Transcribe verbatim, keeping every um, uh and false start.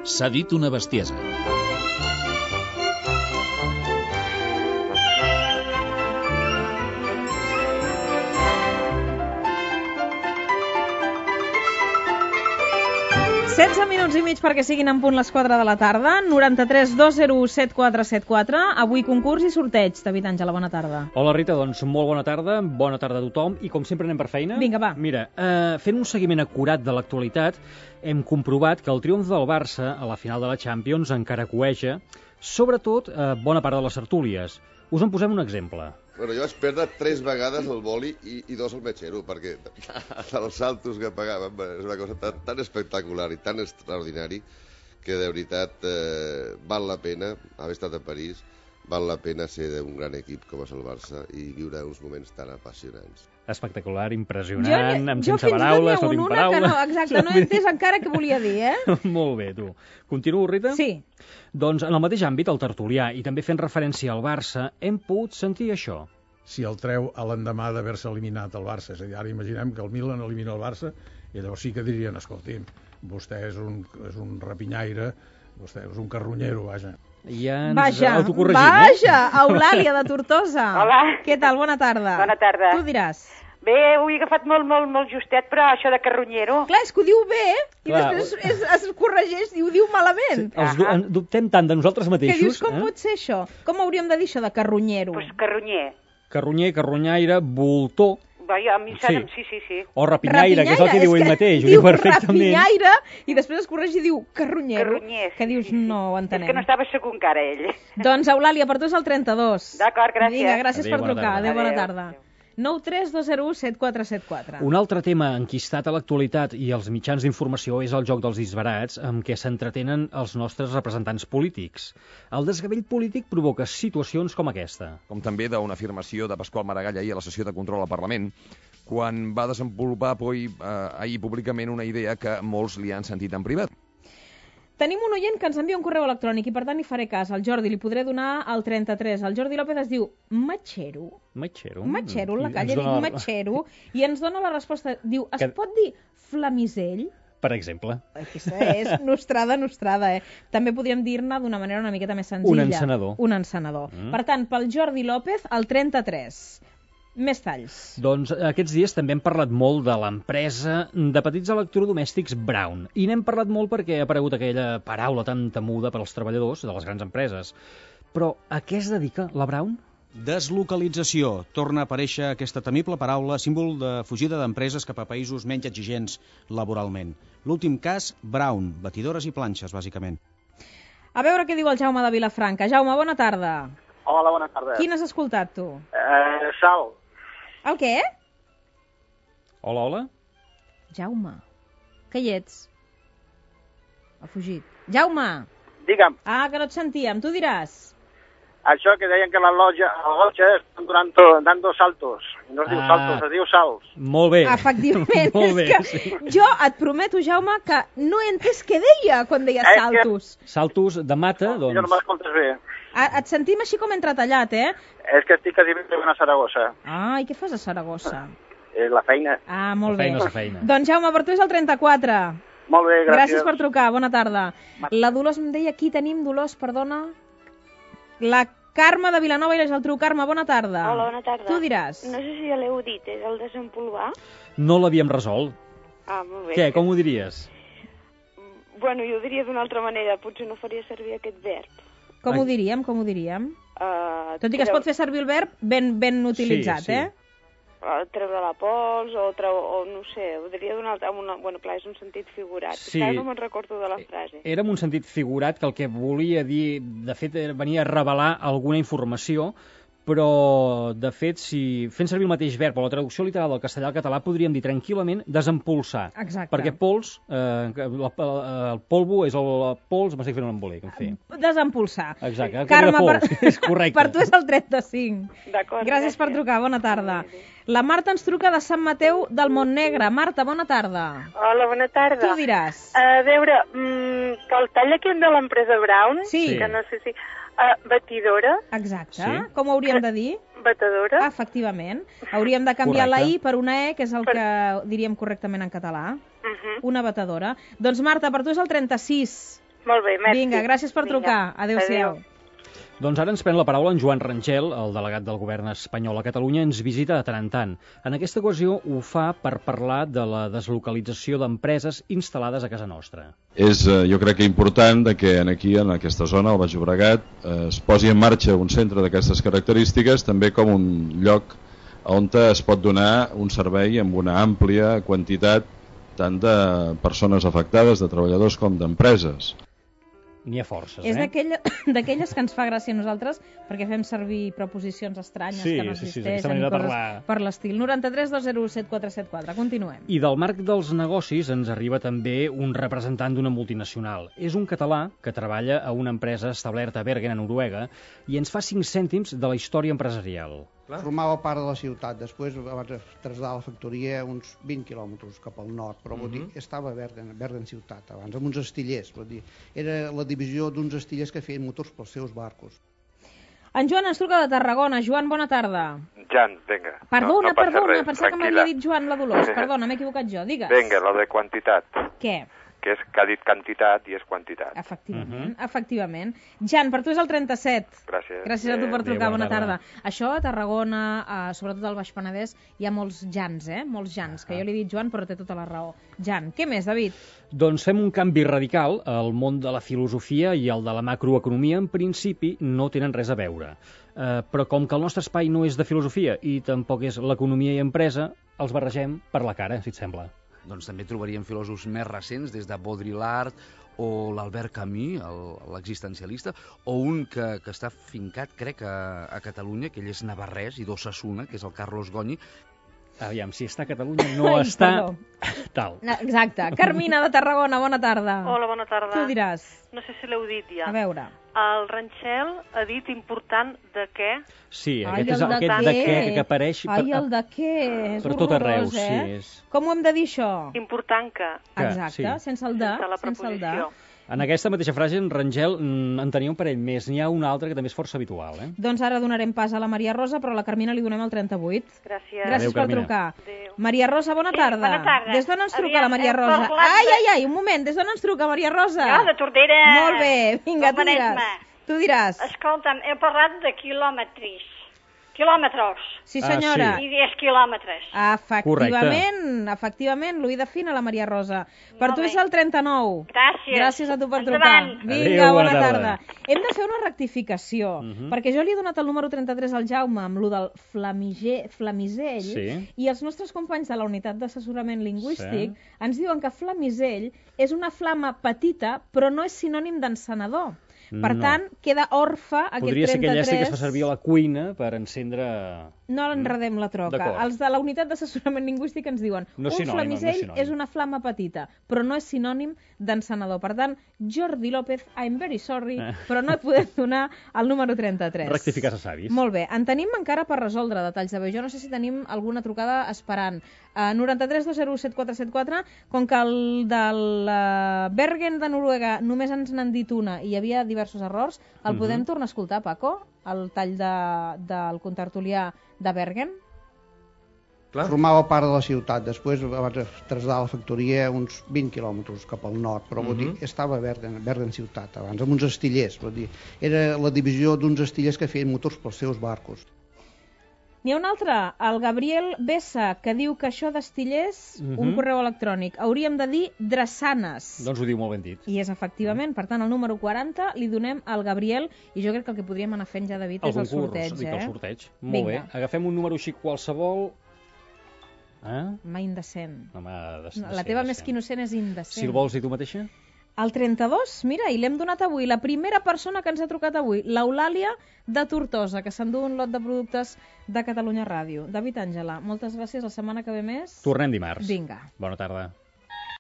S'ha dit una bestiesa. setze minuts i mig perquè siguin en punt les quatre de la tarda. Noranta-tres dos zero u set quatre set quatre. Avui concurs i sorteig. David Àngela, bona tarda. Hola Rita, doncs molt bona tarda. Bona tarda a tothom. I com sempre anem per feina. Vinga, va. Mira, eh, fent un seguiment acurat de l'actualitat, hem comprovat que el triomf del Barça a la final de la Champions encara cueja, sobretot eh, bona part de les tertúlies. Us en posem un exemple. Bueno, jo vaig perdre tres vegades el boli i, i dos el metxero, perquè els saltos que pagàvem és una cosa tan, tan espectacular i tan extraordinari que de veritat eh, val la pena haver estat a París, val la pena ser d'un gran equip com és el Barça i viure uns moments tan apassionants. Espectacular, impressionant, jo, amb jo sense paraules, no tinc paraules. Que no, exacte, no he entès encara què volia dir, eh? Molt bé, tu. Continuo, Rita? Sí. Doncs en el mateix àmbit, el tertulià, i també fent referència al Barça, hem pogut sentir això. Si el treu a l'endemà d'haver-se eliminat el Barça, és a dir, ara imaginem que el Milan elimina el Barça, i llavors sí que dirien, escolti'm, vostè és un, és un rapinyaire, vostè és un carronyero, vaja. Ja ens vaja, autocorregim, vaja, eh? Eulàlia de Tortosa. Hola. Què tal? Bona tarda. Bona tarda. Tu diràs. Bé, ho he agafat molt, molt, molt justet, però això de carronyero... Clar, és que ho diu bé, i Clar. després es, es corregeix i ho diu malament. Sí, els du en dubtem tant de nosaltres mateixos. Que dius, com eh? pot ser això? Com hauríem de dir això de carronyero? Doncs pues carronyer. Carronyer, carronyaire, voltor... Vaja, a mi Sí. sí. sí, sí, sí. O rapinyaire, que és el que diu ell mateix, ho diu diu perfectament. rapinyaire i després es correix i diu carronyero, Carronyer, que dius sí, sí. no ho entenem. És que no estava segur encara ell. Doncs Eulàlia, per tu és el trenta-dos. D'acord, gràcies. Vinga, gràcies Adéu, per bona trucar. tarda. Adéu, bona Adéu. tarda. nou tres dos zero u set quatre set quatre. Un altre tema enquistat a l'actualitat i als mitjans d'informació és el joc dels disbarats amb què s'entretenen els nostres representants polítics. El desgavell polític provoca situacions com aquesta. Com també d'una afirmació de Pasqual Maragall ahir a la sessió de control al Parlament, quan va desenvolupar ahir, eh, ahir públicament una idea que molts li han sentit en privat. Tenim un oient que ens envia un correu electrònic i per tant hi faré cas. Al Jordi li podré donar el trenta-tres. El Jordi López es diu Matxero. Matxero? Matxero, en la I calle ens dic dona la- Matxero i ens dona la resposta. Diu, es Que- pot dir flamisell? Per exemple. Aquesta és nostrada, nostrada, eh? També podríem dir-ne d'una manera una miqueta més senzilla. Un encenedor. Un encenedor. Mm. Per tant, pel Jordi López, el trenta-tres. Més talls. Doncs aquests dies també hem parlat molt de l'empresa de petits electrodomèstics Braun. I n'hem parlat molt perquè ha aparegut aquella paraula tan temuda per als treballadors de les grans empreses. Però a què es dedica la Braun? Deslocalització. Torna a aparèixer aquesta temible paraula, símbol de fugida d'empreses cap a països menys exigents laboralment. L'últim cas, Braun, batidores i planxes, bàsicament. A veure què diu el Jaume de Vilafranca. Jaume, bona tarda. Hola, bona tarda. Quin has escoltat, tu? Eh, Sal. El què? Hola, hola. Jaume, que hi ets? Ha fugit. Jaume! Digue'm, Ah, que no et sentíem. Tu diràs. això que deien que la lotja, la lotja estan donant, dando saltos. No es diu Ah. saltos, es diu salts. Molt bé. Efectivament. Molt bé, és que sí. jo et prometo, Jaume, que no he entès què deia quan deia És que- saltos. Saltos de mata, Jo no doncs... m'escoltes bé. A, et sentim així com entretallat, eh? És que estic quasi ben a Saragossa. Ah, i què fas a Saragossa? És la feina. Ah, molt La bé. feina és la feina. Doncs Jaume, per tu és el trenta-quatre. Molt bé, gràcies. Gràcies per trucar, bona tarda. La Dolors em deia, aquí tenim Dolors, perdona. La Carme de Vilanova i la Geltrú. Carme, bona tarda. Hola, bona tarda. Tu diràs. No sé si ja l'heu dit, és el desempolvar? No l'havíem resolt. Ah, molt bé. Què, com ho diries? Bueno, jo ho diria d'una altra manera, potser no faria servir aquest verb. Com ho diríem, com ho diríem? Uh, Tot i que es pot fer servir el verb ben, ben utilitzat, Sí, sí. eh? Uh, treure la pols, o, treu, o no sé, ho diria d'una altra... Una, bueno, clar, és un sentit figurat. Sí. Encara no me'n recordo de la frase. Era en un sentit figurat que el que volia dir, de fet, era- venia a revelar alguna informació, però, de fet, si fent servir el mateix verb o la traducció literal del castellà al català, podríem dir tranquil·lament desempolsar. Exacte. Perquè pols, eh, la, el polvo és el pols, m'estic fent un embolic, en fi. Desempolsar. Exacte, el que Carme, era per... pols, és correcte. per tu és el trenta-cinc. D'acord, Gràcies per trucar, bona tarda. La Marta ens truca de Sant Mateu del Montnegre. Marta, bona tarda. Hola, bona tarda. Tu diràs. A veure, mm, que el tall aquest de l'empresa Brown, Sí. que no sé si... Uh, batidora, Exacte. Sí. Com ho hauríem de dir? batedora. Ah, efectivament. Hauríem de canviar Correcte. la I per una E, que és el Per- que diríem correctament en català. Uh -huh. Una batedora. Doncs Marta, per tu és el trenta-sis. Molt bé, merci. Vinga, gràcies per trucar. Adéu-siau. Doncs ara ens pren la paraula en Joan Rangel, el delegat del govern espanyol a Catalunya, ens visita de tant en tant. En aquesta ocasió ho fa per parlar de la deslocalització d'empreses instal·lades a casa nostra. És, jo crec que important que aquí, en aquesta zona, al Baix Llobregat, es posi en marxa un centre d'aquestes característiques, també com un lloc on es pot donar un servei amb una àmplia quantitat tant de persones afectades, de treballadors com d'empreses. N'hi ha forces, És eh? d'aquelles que ens fa gràcia a nosaltres perquè fem servir preposicions estranyes sí, que no sí, sí, existeixen sí, i coses parlar... per l'estil. noranta-tres dos zero set quatre set quatre. Continuem. I del marc dels negocis ens arriba també un representant d'una multinacional. És un català que treballa a una empresa establerta a Bergen, a Noruega, i ens fa cinc cèntims de la història empresarial. Formava part de la ciutat, després va traslladar la factoria uns vint quilòmetres cap al nord, però uh -huh. dir, estava a Bergen, Bergen ciutat abans, amb uns astillers, dir, era la divisió d'uns astillers que feien motors pels seus barcos. En Joan ens truca de Tarragona. Joan, bona tarda. Jan, vinga. Perdona, no, no perdona, res, pensava que m'havia dit Joan la Dolors. Perdona, m'he equivocat jo, digues. Vinga, la de quantitat. Què? Que és que ha dit quantitat i és quantitat. Efectivament, uh -huh. efectivament. Jan, per tu és el trenta-set. Gràcies. Gràcies a tu per trucar, Adéu, bona, bona tarda. tarda. Això a Tarragona, eh, sobretot al Baix Penedès, hi ha molts Jans, eh? Molts Jans, que jo li he dit Joan, però té tota la raó. Jan, què més, David? Doncs fem un canvi radical. El món de la filosofia i el de la macroeconomia, en principi, no tenen res a veure. Uh, però com que el nostre espai no és de filosofia i tampoc és l'economia i empresa, els barregem per la cara, si et sembla. Doncs també trobaríem filòsofs més recents, des de Baudrillard o l'Albert Camus, l'existencialista, o un que, que està fincat, crec, a, a Catalunya, que ell és navarrès i d'Ossassuna, que és el Carlos Goñi. Aviam, si està a Catalunya no Ai, està... Perdó. Tal. Exacte. Carmina de Tarragona, bona tarda. Hola, bona tarda. Tu diràs. No sé si l'heu dit ja. A veure. El Ranxel ha dit important de què? Sí, Ai, aquest és el de aquest què? de què que apareix... Ai, per, el de què? És per tot arreu, horrorós, eh? sí. És... Com ho hem de dir, això? Important que. que Exacte, sí. sense el de. Sense la sense el de. preposició. En aquesta mateixa frase, en Rangel en tenia un parell més. N'hi ha un altre que també és força habitual, eh? Doncs ara donarem pas a la Maria Rosa, però a la Carmina li donem el trenta-vuit. Gràcies. Gràcies Adéu, per Carmina. trucar. Adéu. Maria Rosa, bona Sí, tarda. bona tarda. Des d'on ens truca Aviam, la Maria hem Rosa? parlat Ai, de- ai, ai, un moment, des d'on ens truca Maria Rosa? Jo, de Tordera. Molt bé, vinga, tu del diràs. Maresme. Tu diràs. Escolta'm, he parlat de quilòmetres. Quilòmetres. Sí, senyora. Ah, I dies quilòmetres. Efectivament, efectivament, l'oïda fina, la Maria Rosa. Per Molt tu bé. és el trenta-nou. Gràcies. Gràcies a tu per Endavant. trucar. Vinga, Adéu, bona bona tarda. tarda. Hem de fer una rectificació, Uh -huh. perquè jo li he donat el número trenta-tres al Jaume amb lo del flamiger, flamisell, Sí. i els nostres companys de la unitat d'assessorament lingüístic Sí. ens diuen que flamisell és una flama petita, però no és sinònim d'encenedor. Per No. tant, queda orfe aquest Podria ser aquell trenta-tres. llàstic que es fa servir a la cuina per encendre... No enredem la troca. D'acord. Els de la unitat d'assessorament lingüístic ens diuen No és un sinònim, no és flamisell sinònim. és una flama petita, però no és sinònim d'encenedor. Per tant, Jordi López, I'm very sorry, Eh. però no et podem donar el número trenta-tres. Rectificar se savis. Molt bé. En tenim encara per resoldre detalls de veu. Jo no sé si tenim alguna trucada esperant. Uh, noranta-tres dos zero set quatre set quatre, com que el del uh, Bergen de Noruega només ens n'han dit una i hi havia diversos errors, el Mhm. podem tornar a escoltar, Paco? El tall de, del contertulià de Bergen? Clar. Formava part de la ciutat, després va traslladar la factoria uns vint quilòmetres cap al nord, però uh -huh. dir, estava a Bergen, Bergen ciutat abans, amb uns astillers, vull dir, era la divisió d'uns astillers que feien motors pels seus barcos. N'hi ha un altre, el Gabriel Bessa, que diu que això d'astillers, uh -huh. un Mhm. correu electrònic, hauríem de dir drassanes. Doncs ho diu molt ben dit. I és efectivament, per tant, el número quaranta li donem al Gabriel, i jo crec que el que podríem anar fent ja, David, El és el concurs, sorteig, dic, eh? el sorteig. Molt Vinga. bé. Agafem un número així qualsevol... Eh? Home, indecent. Home, de, de, No, la teva més que innocent és indecent. Si el vols dir tu mateixa? El trenta-dos, mira, i l'hem donat avui. La primera persona que ens ha trucat avui, l'Eulàlia de Tortosa, que s'endú un lot de productes de Catalunya Ràdio. David Àngela, moltes gràcies. La setmana que ve més... Tornem dimarts. Vinga. Bona tarda.